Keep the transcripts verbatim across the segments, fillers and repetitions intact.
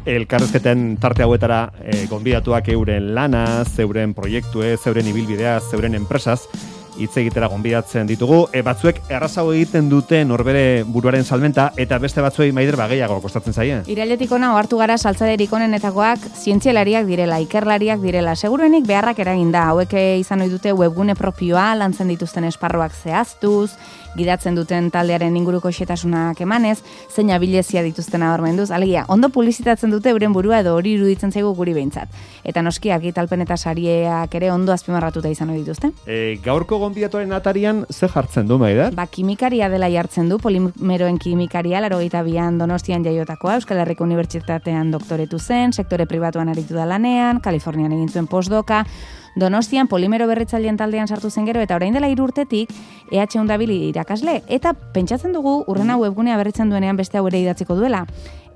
elkarrezketen tarte hauetara e, gonbidatuak euren lanaz, euren proiektuez, euren ibilbideaz, euren enpresaz, hitz egitera gonbidatzen ditugu. E, batzuek errazago egiten dute norbere buruaren salmenta, eta beste batzuei Maider bageiago kostatzen zaie. Irailetik ona ohartu gara saltzaderik onenetakoak zientzialariak direla, ikerlariak direla. Seguruenik beharrak eragin da. Hauek izan ohi dute webgune propioa, lantzen dituzten esparruak zehaztuz, gidatzen duten taldearen inguruko xetasunak emanez, zein abilezia dituzten nabarmenduz. Alegia, ondo publizitatzen dute euren burua edo hori iruditzen zaigu guri behintzat. Eta noski argitalpen eta sarieak ere ondo azpimarratuta izan ohi dituzte. E, gaurko gonbidatuaren atarian ze jartzen du, Maider? Ba, kimikaria dela jartzen du, polimeroen kimikaria, laurogeita bian Donostian jaiotakoa, Euskal Herriko Unibertsitatean doktoretu zen, sektore pribatuan aritu da lanean, Kalifornian egin zuen postdoka, Donostian polimero berritzaileen taldean sartu zen gero, eta orain dela hiru urtetik E H undabili irakasle, eta pentsatzen dugu urrena webgunea berritzen duenean beste hau ere idatziko duela.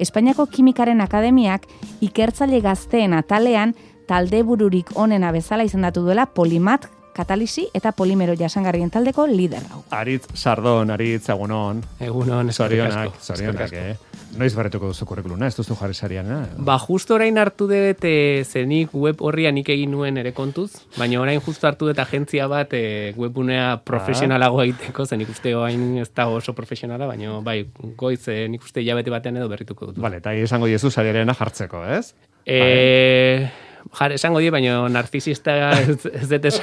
Espainiako Kimikaren Akademiak ikertzaile gazteen atalean talde bururik onena bezala izendatu duela Polimat katalisi eta polimero jasangarrien taldeko lider hau. Aritz Sardon, Aritz, egunon. Egunon, zorionak, zorionak, eh? Noiz berretuko duzu kurrikuluna, ez duzu jarri sarian, eh? Ba, justo orain hartu dut e, zenik web horria nik egin nuen ere kontuz, baina orain justo hartu dut agentzia bat e, webunea profesionalago egiteko, zen ikuste orain ez da oso profesionala, baina bai, goiz e, nik uste hilabete batean edo berrituko dut. Vale, eta esango diezu sariarena jartzeko, ez? Eh... Jar, esango di, baina narzisista ez, ez dut ez,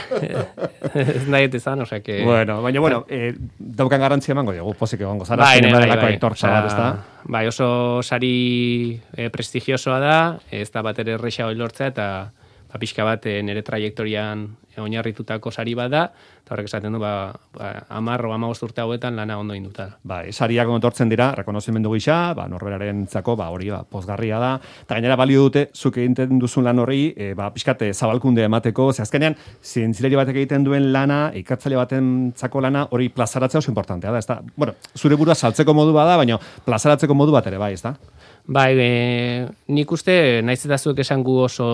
ez nahi ezan, osea que... Bueno, baina, bueno, eh, daukan garantzia emango dugu, pozik egongo zara, bai, zinema bai, delako bai, aitortza bat, ez da? Bai, oso sari eh, prestigiosoa da, ez da bat ere erresa hori lortzea, eta ba, pixka bat eh, nire trajektorian oinarritutako sari bat da, eta horrek esaten du, ba, ba, amar o amabost urte hauetan lana ondo induta. Bai, sariak ontortzen dira, rekonozimendu gisa, ba, norberaren zako, ba, hori, ba, pozgarria da, eta gainera balio dute, zuk egiten duzun lan horri, e, ba, pixkate zabalkunde emateko, ze azkenean, zientzileri batek egiten duen lana, ikertzaile baten zako lana, hori plazaratzea oso importantea da, ez da? Bueno, zure burua saltzeko modu bada, baina plazaratzeko modu bat ere, bai, ez da? Bai, e, nik uste, naiz eta zuek esan gu oso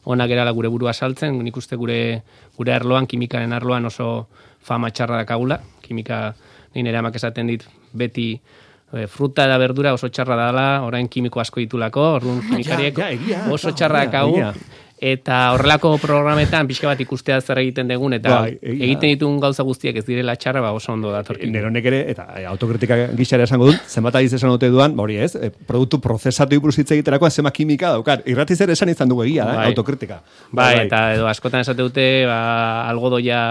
onak erala gure burua saltzen, nik uste gure, gure arloan, kimikaren arloan oso fama txarra dakagula, kimika nire amak esaten dit beti e, fruta da berdura oso txarra dela, orain kimiko asko ditulako, orduan kimikariek ja, ja, oso txarra dakagu, eta horrelako programetan pixka bat ikustea zer egiten dugun, eta bai, egiten ditun gauza guztiak ez direla txarra, ba oso ondo datorkin. Neronek ere, eta autokritika gixara esango dut, zenbat adiz esan dute duan, hori ez, e, produktu prozesatu iburuz hitz egiterakoan zema kimika daukar. Irratiz ere esan izan dugu egia, bai. eh, autokritika. Bai, bai, eta edo askotan esate dute, ba, algodoia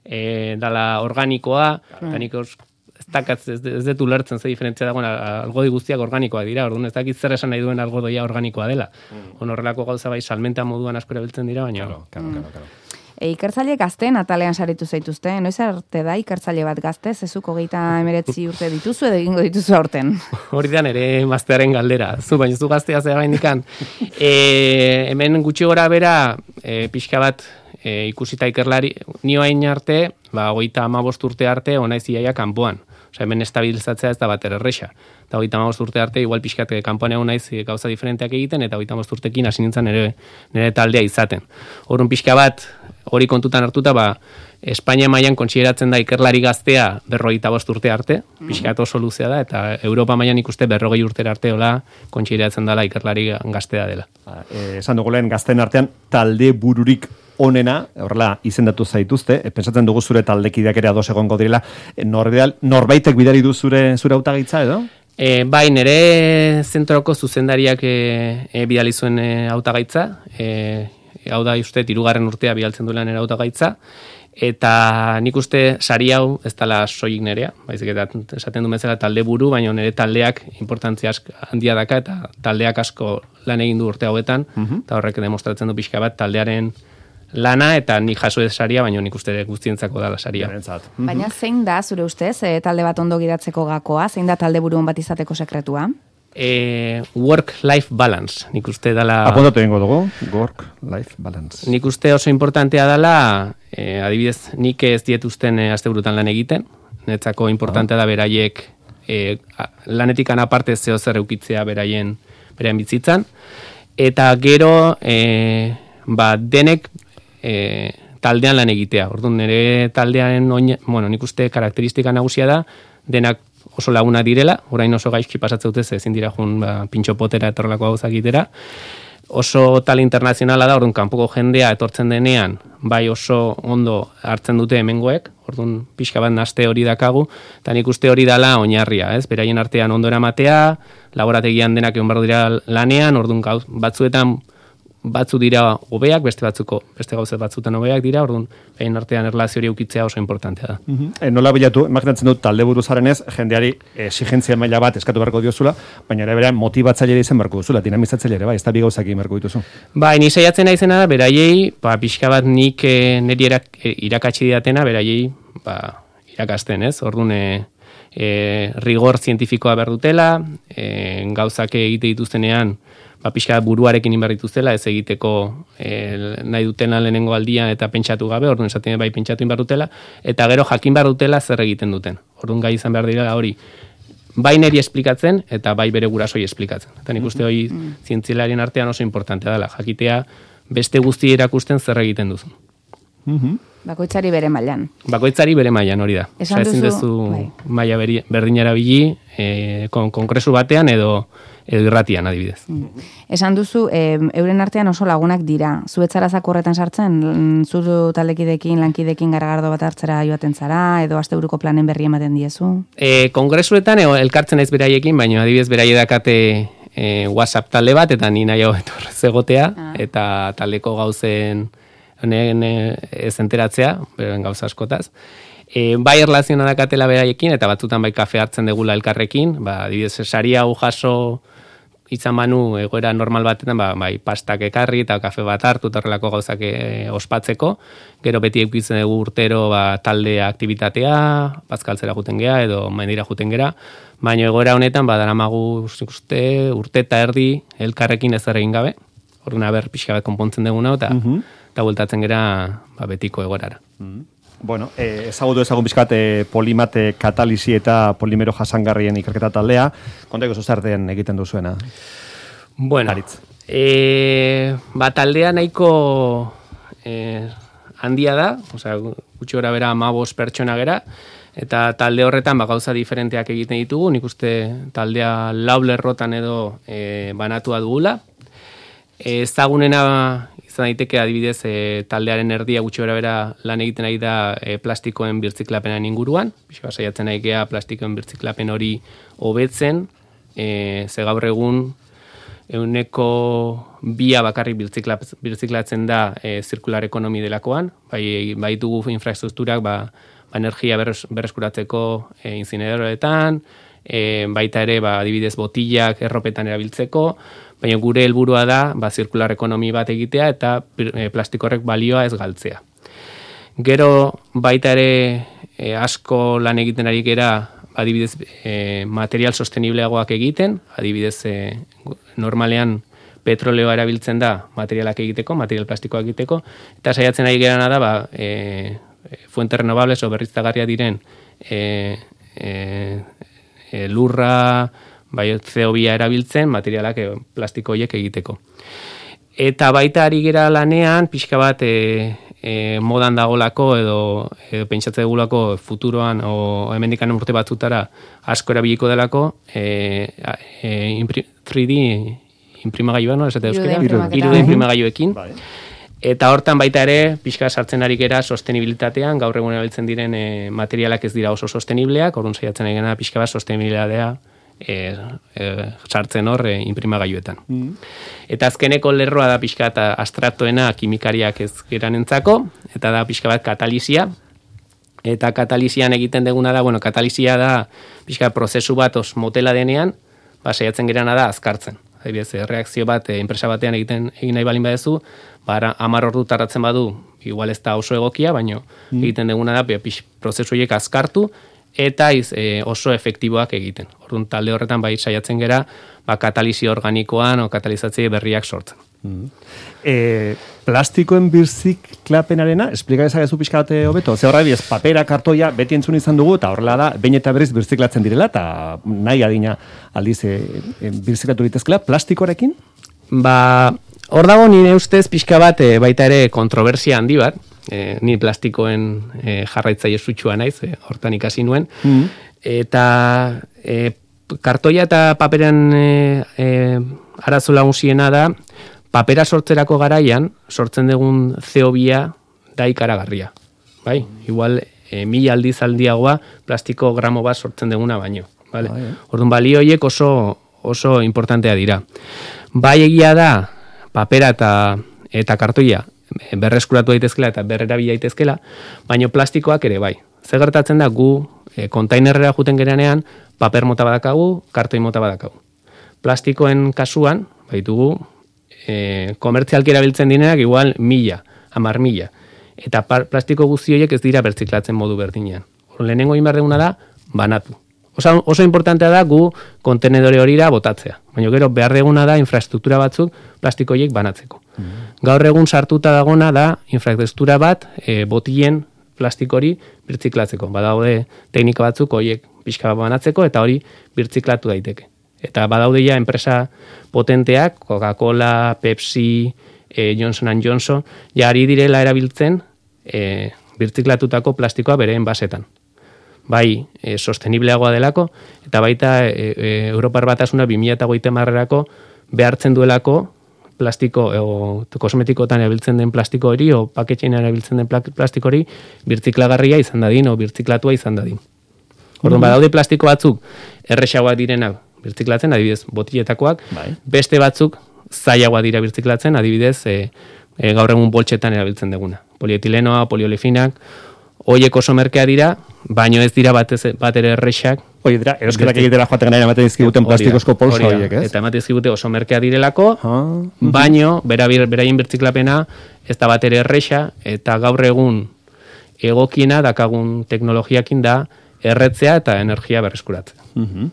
e, dala organikoa, eta mm. nik ez, ez detu lertzen ze diferentzia dagoen algodi guztiak organikoa dira, orduan ez dakit zer esan nahi duen algodoia organikoa dela. Mm. Horrelako gauza bai salmenta moduan asko erabiltzen dira, baina... Claro, claro, claro, claro. E, ikertzaile gazteen atalean saritu zaituzte, noiz arte da ikertzaile bat gazte, zezuk hogeita emeretzi urte dituzu edo egingo dituzu aurten? Hori da nere maztearen galdera, zu baina zu gaztea zera bainikan. E, hemen gutxi gora bera, e, pixka bat e, ikusita ikerlari, nioain arte, ba, hogeita amabost urte arte, onaiz iaia kanpoan. Osa, hemen estabilizatzea ez da bat erresa. Eta hogeita amabost urte arte, igual pixkat kanpoan egon naiz gauza diferenteak egiten, eta hogeita amabost urtekin hasi nintzen nire, nire taldea izaten. Horren pixka bat, hori kontutan hartuta, ba, Espainia mailan kontsideratzen da ikerlari gaztea berrogeita bost urte arte, pixkat oso luzea da, eta Europa mailan ikuste berrogei urte arte hola kontsideratzen dela ikerlari gaztea dela. Ba, eh, esan dugu lehen gazten artean talde bururik onena, horrela izendatu zaituzte, e, pentsatzen dugu zure taldekideak ere ados egongo direla, e, norbeal, norbaitek bidari du zure, zure hautagaitza edo? E, bai, nire zentroko zuzendariak e, e, bidali zuen e, hautagaitza, e, hau da uste hirugarren urtea bidaltzen duela nire hautagaitza, eta nik uste sari hau ez dela soilik nerea, baizik eta esaten du bezala talde buru, baina nire taldeak importantzia handia daka, eta taldeak asko lan egin du urte hauetan, uh-huh. eta horrek demostratzen du pixka bat taldearen lana, eta nik jaso ez saria, baina nik uste guztientzako dala saria. Baina zein da, zure ustez, e, talde bat ondo gidatzeko gakoa, zein da talde buru on bat izateko sekretua? E, work-life balance, nik uste dala... Apuntatu egingo dugu, work-life balance. Nik uste oso importantea dala, e, adibidez, nik ez dietuzten e, asteburutan lan egiten, netzako importantea ah. da beraiek e, lanetik anaparte zeo zer eukitzea beraien, beraien bizitzan, eta gero, e, ba, denek e, taldean lan egitea. Orduan, nire taldean, oin, bueno, nik uste karakteristika nagusia da, denak oso laguna direla, orain oso gaizki pasatzen dute, ezin dira jun ba, pintxo potera etorrelako gauzak itera. Oso tal internazionala da, orduan kanpoko jendea etortzen denean, bai oso ondo hartzen dute hemengoek, orduan pixka bat naste hori dakagu, eta nik uste hori dala oinarria, ez? Beraien artean ondo eramatea, laborategian denak egon behar dira lanean, orduan gauz, batzuetan batzu dira hobeak, beste batzuko, beste gauze batzutan hobeak dira, orduan behin artean erlazio hori ukitzea oso importantea da. Uh-huh. E, nola bilatu, imaginatzen dut talde buruzaren ez, jendeari exigentzia maila bat eskatu beharko diozula, baina ere berean motibatzaile izan beharko duzula, dinamizatzaile ere, bai, ez da bi gauzak egin beharko dituzu. Bai, ni saiatzen naizena da, beraiei, ba, pixka bat nik e, niri irak, e, irakatsi didatena, beraiei, ba, irakasten, ez? Orduan, e, e, rigor zientifikoa behar dutela, e, gauzak egite dituztenean, ba, pixka buruarekin inberrituztela, ez egiteko e, nahi dutena lehenengo aldian eta pentsatu gabe, orduan esaten bai pentsatu inbar dutela, eta gero jakin behar dutela zer egiten duten. Orduan gai izan behar dira hori, bai neri esplikatzen eta bai bere gurasoi esplikatzen. Eta nik uste hori zientzialarien artean oso importantea dela, jakitea beste guzti erakusten zer egiten duzun. Bakoitzari bere mailan. Bakoitzari bere mailan hori da. Esan Osa, ezin duzu, duzu bai. maila beri- berdinara bili, e, kon, konkresu batean edo edo irratian adibidez. Esan duzu, e, euren artean oso lagunak dira. Zuetzara zakurretan sartzen, mm, zuru taldekidekin, lankidekin garagardo bat hartzera joaten zara, edo asteburuko planen berri ematen diezu? E, kongresuetan e, elkartzen naiz beraiekin, baina adibidez beraie dakate e, WhatsApp talde bat, eta ni nahi hau etorrez egotea, Ah. eta taldeko gauzen honen ez enteratzea, beren gauza askotaz. E, bai erlazioa dakatela beraiekin, eta batzutan bai kafe hartzen degula elkarrekin, ba, adibidez, sari hau jaso izan manu egoera normal batetan, ba, bai pastak ekarri eta kafe bat hartu eta horrelako gauzak e, ospatzeko. Gero beti eukitzen dugu urtero ba, talde aktibitatea, bazkaltzera juten gea edo mendira juten gera. Baina egoera honetan ba, daramagu uste, urte eta erdi elkarrekin ez egin gabe. Orduan aber pixka bat konpontzen duguna eta Mhm. eta bueltatzen gera ba, betiko egoerara. Bueno, eh, ezagutu ezagun bizkat eh, polimate katalisi eta polimero jasangarrien ikerketa taldea. Konteko zuzarten egiten duzuena. Bueno, Aritz. e, ba, taldea nahiko e, handia da, osea, gutxi gora bera hamabost pertsona gera, eta talde horretan ba, gauza diferenteak egiten ditugu, nik uste taldea lau lerrotan edo e, banatua dugula. E, ezagunena izan daiteke adibidez e, taldearen erdia gutxi gora bera lan egiten ari da e, plastikoen birtziklapenaren inguruan, pixka saiatzen nahi gea plastikoen birtziklapen hori hobetzen, e, ze gaur egun euneko bia bakarrik birtzikla, birtziklatzen da e, zirkular ekonomi delakoan, bai, bai dugu infrastrukturak ba, ba energia berres, berreskuratzeko e, incineradoretan, e, baita ere ba, adibidez botillak erropetan erabiltzeko, baina gure helburua da ba, zirkular ekonomi bat egitea eta e, plastikorrek balioa ez galtzea. Gero baita ere e, asko lan egiten ari gera adibidez e, material sostenibleagoak egiten, adibidez e, normalean petroleoa erabiltzen da materialak egiteko, material plastikoak egiteko, eta saiatzen ari gerana da ba, e, fuente renovables o berriztagarria diren e, e, e, lurra, bai C O bi erabiltzen materialak e, plastiko horiek egiteko. Eta baita ari gera lanean, pixka bat e, e, modan dagolako edo, edo pentsatze dugulako futuroan o hemendikan urte batzutara asko erabiliko delako e, e, tri D imprimagailuak, no? Esate euskera? hiru D imprimagailuekin. Bai. Eta hortan baita ere, pixka sartzen ari gera sostenibilitatean, gaur egun erabiltzen diren e, materialak ez dira oso sostenibleak, orduan saiatzen ari gena pixka bat sostenibilitatea e, e, sartzen hor e, imprimagailuetan. Mm. Eta azkeneko lerroa da pixka eta abstraktoena kimikariak ez geranentzako, eta da pixka bat katalisia. Eta katalisian egiten deguna da, bueno, katalisia da pixka prozesu bat os motela denean, ba, saiatzen gerana da azkartzen. Adibidez, reakzio bat e, enpresa batean egiten egin nahi balin badezu, ba, hamar ordu tardatzen badu, igual ez da oso egokia, baino mm. egiten deguna da pix, prozesu horiek azkartu eta iz, e, oso efektiboak egiten. Orduan talde horretan bai saiatzen gera, ba, katalisi organikoan o katalizatzaile berriak sortzen. Mm. E, plastikoen birziklapenarena, esplika dezakezu pixka bat hobeto? Ze horra ez papera, kartoia, beti entzun izan dugu, eta horrela da, behin eta berriz birziklatzen direla, eta nahi adina aldiz e, e, birziklatu ditezkela, plastikoarekin? Ba, hor dago nire ustez pixka bat e, baita ere kontroversia handi bat, e, ni plastikoen e, jarraitzaile sutsua naiz, e, hortan ikasi nuen, mm. Eta e, kartoia eta paperan e, e, arazo lagunziena da, papera sortzerako garaian, sortzen dugun C O bia da ikaragarria. Bai? Igual, e, mila aldiz aldiagoa plastiko gramo bat sortzen duguna baino. Vale? Ah, Orduan, balio horiek oso, oso importantea dira. Bai egia da, papera eta, eta kartoia berreskuratu daitezkela eta berrerabil daitezkela, baino plastikoak ere bai. Zer gertatzen da, gu e, kontainerrera juten gerenean, paper mota badakagu, kartoi mota badakagu. Plastikoen kasuan, baitugu, e, komertzialki erabiltzen direnak igual mila, hamar mila. Eta plastiko guzti horiek ez dira bertziklatzen modu berdinean. Lehenengo egin behar duguna da, banatu. Oso, oso importantea da gu kontenedore horira botatzea. Baina gero behar duguna da infrastruktura batzuk plastiko horiek banatzeko. Mm. Gaur egun sartuta dagona da infrastruktura bat e, botilen plastiko hori birtziklatzeko. Badaude teknika batzuk horiek pixka bat banatzeko eta hori birtziklatu daiteke. Eta badaude ja enpresa potenteak, Coca-Cola, Pepsi, e, Johnson and Johnson, ja ari direla erabiltzen e, birtziklatutako plastikoa bereen basetan. Bai, e, sostenibleagoa delako, eta baita e, e, Europar Batasuna bi mila hogeita hamarerako behartzen duelako plastiko, o kosmetikotan erabiltzen den plastiko hori, o paketxean erabiltzen den plastiko hori, birtziklagarria izan dadin, o birtziklatua izan dadin. Orduan, badaude plastiko batzuk erresagoak direnak birtziklatzen, adibidez, botiletakoak, bai. Beste batzuk zailagoak dira birtziklatzen, adibidez, e, e, gaur egun boltsetan erabiltzen duguna. Polietilenoa, poliolefinak, hoiek oso merkea dira, baino ez dira bat, ez, bat ere erresak. Hoi dira, erosketak egitera joaten gana ematen dizkiguten plastikozko polsa horiek, ez? Eta ematen dizkigute oso merkea direlako, ah, baino, bera, beraien birtziklapena ez da bat ere erresa, eta gaur egun egokiena dakagun teknologiakin da erretzea eta energia berreskuratzea. Uh-huh.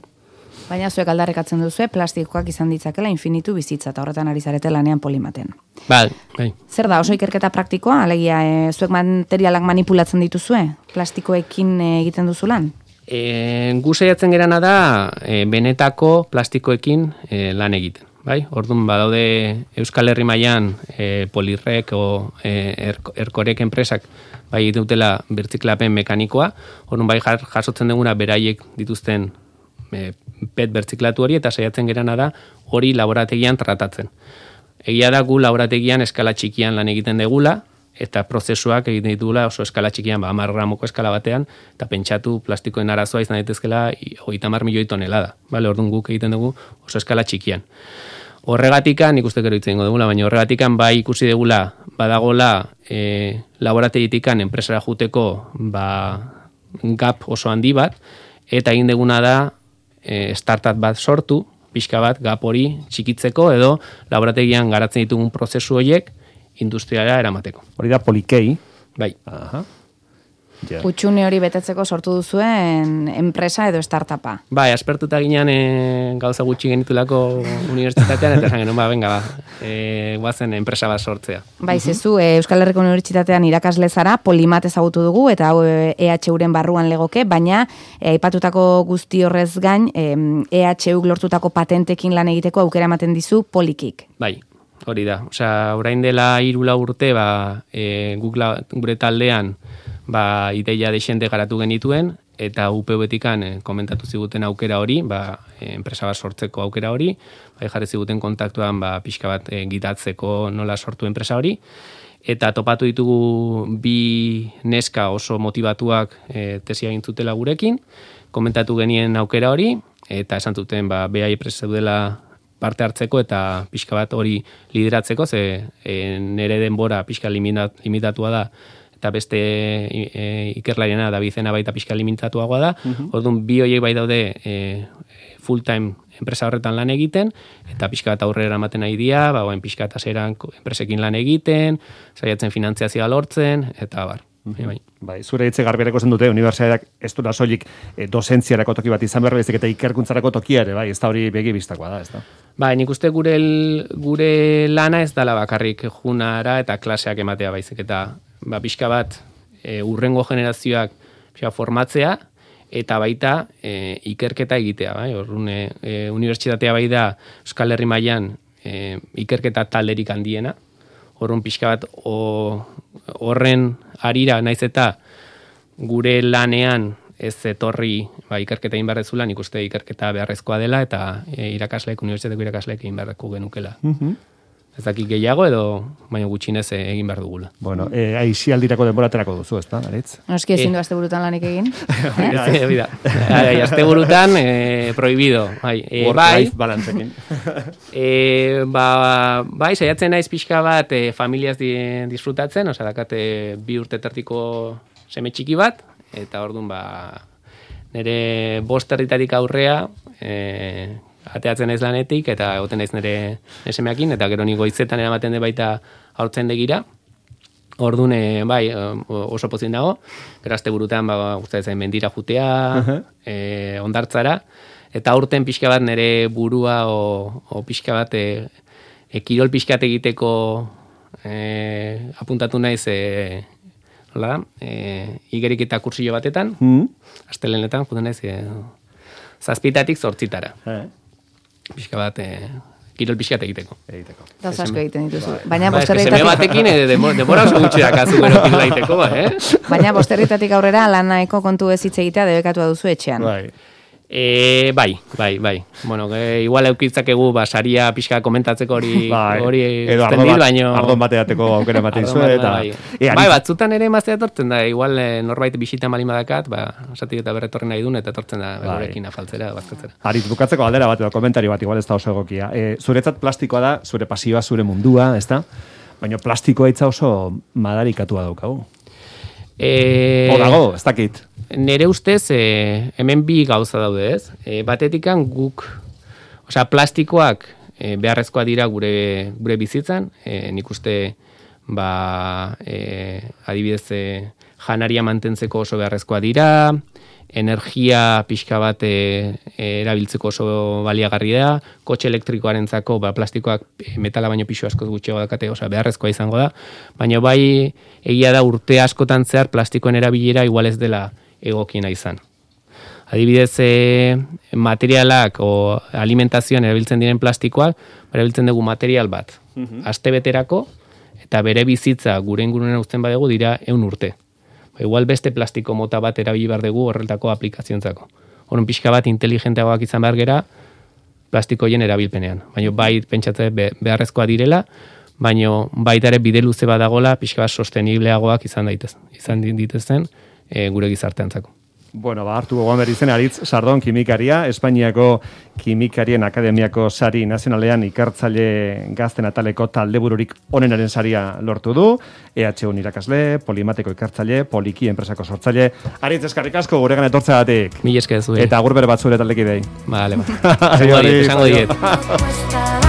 Baina zuek aldarrekatzen duzu, plastikoak izan ditzakela infinitu bizitza, eta horretan ari zarete lanean Polimaten. Bai, bai. Zer da, oso ikerketa praktikoa, alegia, e, zuek materialak manipulatzen dituzue, plastikoekin e, egiten duzu lan? E, gu saiatzen gerana da, e, benetako plastikoekin e, lan egiten. Bai? Orduan badaude Euskal Herri mailan e, Polirrek o e, er, Erkorek enpresak bai dutela birtziklapen mekanikoa, orduan bai jasotzen duguna beraiek dituzten e, pet bertziklatu hori eta saiatzen gerana da hori laborategian tratatzen. Egia da gu laborategian eskala txikian lan egiten degula, eta prozesuak egiten ditugula oso eskala txikian, ba, hamar gramoko eskala batean, eta pentsatu plastikoen arazoa izan daitezkela hogeita hamar milioi tonelada. Bale, orduan guk egiten dugu oso eskala txikian. Horregatikan, nik uste gero hitz egingo dugula, baina horregatikan bai ikusi degula badagola e, laborategitikan enpresara juteko ba, gap oso handi bat, eta egin deguna da e, startup bat sortu, pixka bat gap hori txikitzeko edo laborategian garatzen ditugun prozesu horiek industriara eramateko. Hori da Polikei. Bai. Aha. Yeah. Utxune hori betetzeko sortu duzuen enpresa edo startupa. Bai, aspertuta ginean e, gauza gutxi genitulako unibertsitatean, eta esan genuen, ba, venga, ba, e, guazen enpresa bat sortzea. Bai, zezu, e, Euskal Herriko Unibertsitatean irakasle zara, Polimat ezagutu dugu, eta hau E H U-ren barruan legoke, baina e, aipatutako guzti horrez gain, e, E H U lortutako patentekin lan egiteko aukera ematen dizu Polikik. Bai. Hori da, osea, orain dela hiru lau urte, ba, e, gure taldean, ba, ideia desente garatu genituen, eta U P U-betikan e, komentatu ziguten aukera hori, ba, e, enpresa bat sortzeko aukera hori, ba, jarri ziguten kontaktuan, ba, pixka bat e, gitatzeko nola sortu enpresa hori, eta topatu ditugu bi neska oso motivatuak e, tesia gintzutela gurekin, komentatu genien aukera hori, eta esan zuten, ba, behai presa dela parte hartzeko eta pixka bat hori lideratzeko, ze e, nere denbora pixka limitat, limitatua da, eta beste e, ikerlariena da bizena baita pixka limitatuagoa da, uh-huh. Orduan bi horiek bai daude e, full time enpresa horretan lan egiten, eta pixka bat aurrera ematen nahi dira, ba, oen pixka eta zeran enpresekin lan egiten, saiatzen finantziazioa lortzen, eta bar. Mm-hmm. Bai. Bai, zure hitze garbiareko zen dute, unibertsitateak ez dura soilik e, dozentziarako toki bat izan behar bezik eta ikerkuntzarako tokia ere, bai, ez da hori begi bistakoa da, ez da? Bai, nik uste gure, gure lana ez dala bakarrik junara eta klaseak ematea baizik, eta ba, pixka bat e, urrengo generazioak pixka formatzea, eta baita e, ikerketa egitea, bai, orrun e, e, unibertsitatea bai da Euskal Herri mailan e, ikerketa talderik handiena, horren pixka bat o, horren arira naiz eta gure lanean ez etorri ba, ikerketa egin beharrezula, nik uste ikerketa beharrezkoa dela, eta e, irakasleek, unibertsitateko irakasleek egin beharreko genukela. Mhm. Ez dakik gehiago edo, baina gutxinez egin behar dugula. Bueno, eh, aixialdirako denbora aterako duzu, ezta, Aritz? Noski ezin du asteburutan lanik egin. Eh? Bida, asteburutan eh, prohibido. Bai, eh, bai, balantzekin. eh, ba, bai, saiatzen naiz pixka bat eh, familiaz di, disfrutatzen, osea, dakate bi urte tertiko seme txiki bat, eta orduan ba, nire bost herritatik aurrea, eh, ateatzen naiz lanetik, eta egoten naiz nire esemeakin, eta gero ni goizetan eramaten de baita haurtzen degira. Orduan, bai, oso pozin dago, gero asteburutan ba, gustatzen mendira jutea, uh-huh. e, ondartzara, eta aurten pixka bat nire burua o, o pixka bat e, e, kirol pixkat egiteko e, apuntatu naiz e, nola da, e, igerik eta kursillo batetan, mm. astelenetan, juten naiz e, zazpitatik zortzitara. Eh. Pixka bat, eh, kirol pixkat egiteko. Egiteko. Gauz asko egiten dituzu. Baina ba, bosterritatik... Seme batekin, eh, demora oso gutxi dakazu gero kirol egiteko, eh? Baina bosterritatik aurrera lanaeko kontu ez hitz egitea debekatua duzu etxean. Bai. E, bai, bai, bai. Bueno, e, igual eukitzakegu ba, saria pixka komentatzeko hori bai. hori edo ardo bat, baino... ardon bateateko aukera ematen zuen. Eta... Bai, e, bai batzutan ere emaztea etortzen da, igual e, norbait bisita malin badakat, ba, esatik eta berretorri nahi duen, eta etortzen da berekin afaltzera, bazkatzera. Aritz, bukatzeko aldera bat edo komentario bat, igual ez da oso egokia. E, zuretzat plastikoa da, zure pasioa, zure mundua, ez da? Baina plastikoa itza oso madarikatua daukagu. E... O dago, ez dakit. Nere ustez, e, hemen bi gauza daude, ez? E, batetikan guk, osea, plastikoak e, beharrezkoa dira gure gure bizitzan, e, nik uste, ba, e, adibidez, e, janaria mantentzeko oso beharrezkoa dira, energia pixka bat e, erabiltzeko oso baliagarri da, kotxe elektrikoarentzako ba, plastikoak metala baino pisu askoz gutxiago dakate, osea, beharrezkoa izango da, baina bai egia da urte askotan zehar plastikoen erabilera igual ez dela egokiena izan. Adibidez, e, materialak o alimentazioan erabiltzen diren plastikoak, erabiltzen dugu material bat, mm-hmm. astebeterako, eta bere bizitza gure ingurunen uzten badegu dira ehun urte. Ba, igual beste plastiko mota bat erabili behar dugu horretako aplikazioentzako. Horren pixka bat inteligenteagoak izan behar gera plastikoien erabilpenean. Baina bai pentsatzen beharrezkoa direla, baina baita ere bide luze badagola pixka bat sostenibleagoak izan daitez, izan dituzten e, gure gizarteantzako. Bueno, ba, hartu gogoan berri zen Aritz Sardon kimikaria, Espainiako Kimikarien Akademiako sari nazionalean ikertzaile gazten ataleko taldebururik onenaren saria lortu du, E H U irakasle, Polimateko ikertzaile, Poliki enpresako sortzaile. Aritz, eskarrik asko guregan etortzeagatik. Mila esker zuei. Eta agur bere bat zure taldekidei. Vale, ba. Esango diet, esango diet.